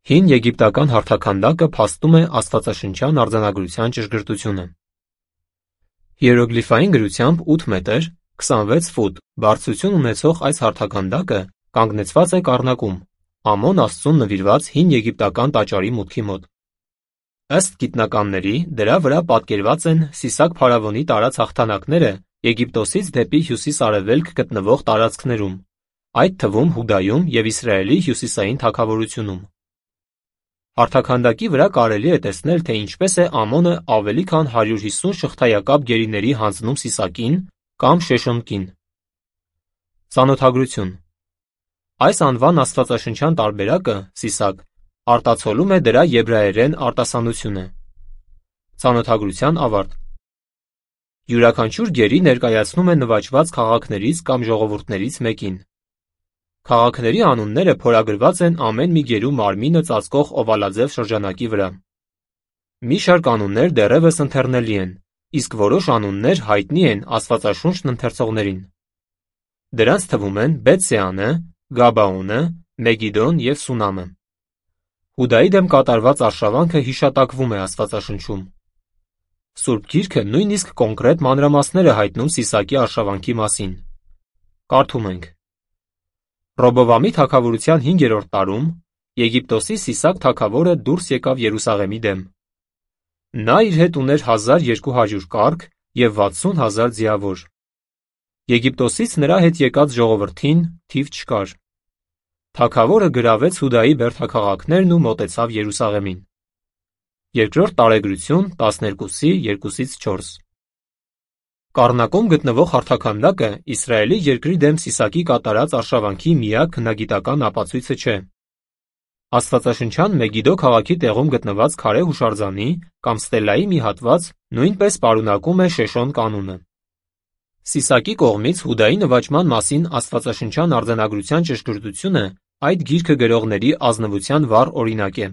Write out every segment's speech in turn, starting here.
Հին եգիպտական հարթաքանդակը փաստում է աստվածաշնչյան արձանագրության ճշգրտությունը։ Հիերոգլիֆային գրությամբ 8 մետր 26 ֆուտ բարձրություն ունեցող այս հարթաքանդակը կանգնեցված է կառնակում, Ամոն աստծուն նվիրված հին եգիպտական տաճարի մուտքի մոտ։ Ըստ գիտնականների, դրա վրա պատկերված են Սիսակ փարավոնի տարած հաղթանակները Եգիպտոսից դեպի հյուսիս-արևելք գտնվող տարածքներում, այդ թվում Հուդայում և Իսրայելի հյուսիսային թագավորությունում։ Հարթաքանդակի վրա կարելի է տեսնել, թե ինչպես է Ամոնը ավելի քան 150 շղթայակապ գերիների հանձնում Սիսակին կամ Շեշոնակին։ Ծանոթագրություն։ Այս անվան աստվածաշնչյան տարբերակը Սիսակ արտացոլում է դրա եբրայերեն արտասանությունը։ Ծանոթագրության ավարտ։ Յուրաքանչյուր գերի ներկայացնում է նվաճված քաղաքներից կամ ժողովուրդներից մեկին։ Քաղաքների անունները փորագրված են ամեն մի գերու մարմինը ծածկող օվալաձև շրջանակի վրա։ Մի շարք անուններ դեռևս ընթեռնելի են, իսկ որոշ անուններ հայտնի են աստվածաշունչն ընթերցողներին։ Դրանց թվում են Բեթսեանը, Գաբաոնը, Մեգիդոն և Սունամը։ Հուդայի դեմ կատարված արշավանքը հիշատակվում է Աստվածաշնչում։ Սուրբ Գիրքը նույնիսկ կոնկրետ մանրամասներ է հայտնում Սիսակի արշավանքի մասին։ Կարդում ենք. Ռոբովամի թագավորության 5-րդ տարում Եգիպտոսի Սիսակ թագավորը դուրս եկավ Երուսաղեմի դեմ։ Նա իր հետ ուներ 1200 կառք և 60,000 ձիավոր։ Եգիպտոսից նրա հետ եկած ժողովրդին թիվ չկար։ Թագավորը գրավեց Հուդայի բերդաքաղաքներն ու մոտեցավ Երուսաղեմին։ Երկրորդ տարեգրություն 12:2-4։ Կառնակում գտնվող հարթաքանդակը Իսրայելի երկրի դեմ Սիսակի կատարած արշավանքի միակ հնագիտական ապացույցը չէ։ Աստվածաշնչյան Մեգիդո քաղաքի տեղում գտնված քարե հուշարձանի կամ ստելայի մի հատված նույնպես պարունակում է Շեշոն կանունը։ Սիսակի կողմից Հուդայի նվաճման մասին աստվածաշնչյան արձանագրության ճշգրտությունը այդ գիրքը գրողների ազնվության վառ օրինակ է։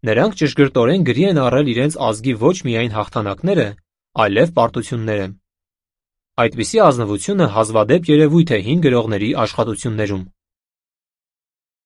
Նրանք ճշգրտորեն գրի են առել իրենց ազգի ոչ միայն հաղթանակները, այլև պարտությունները։ Այդպիսի ազնվությունը հազվադեպ երևույթ է հին գրողների աշխատություններում։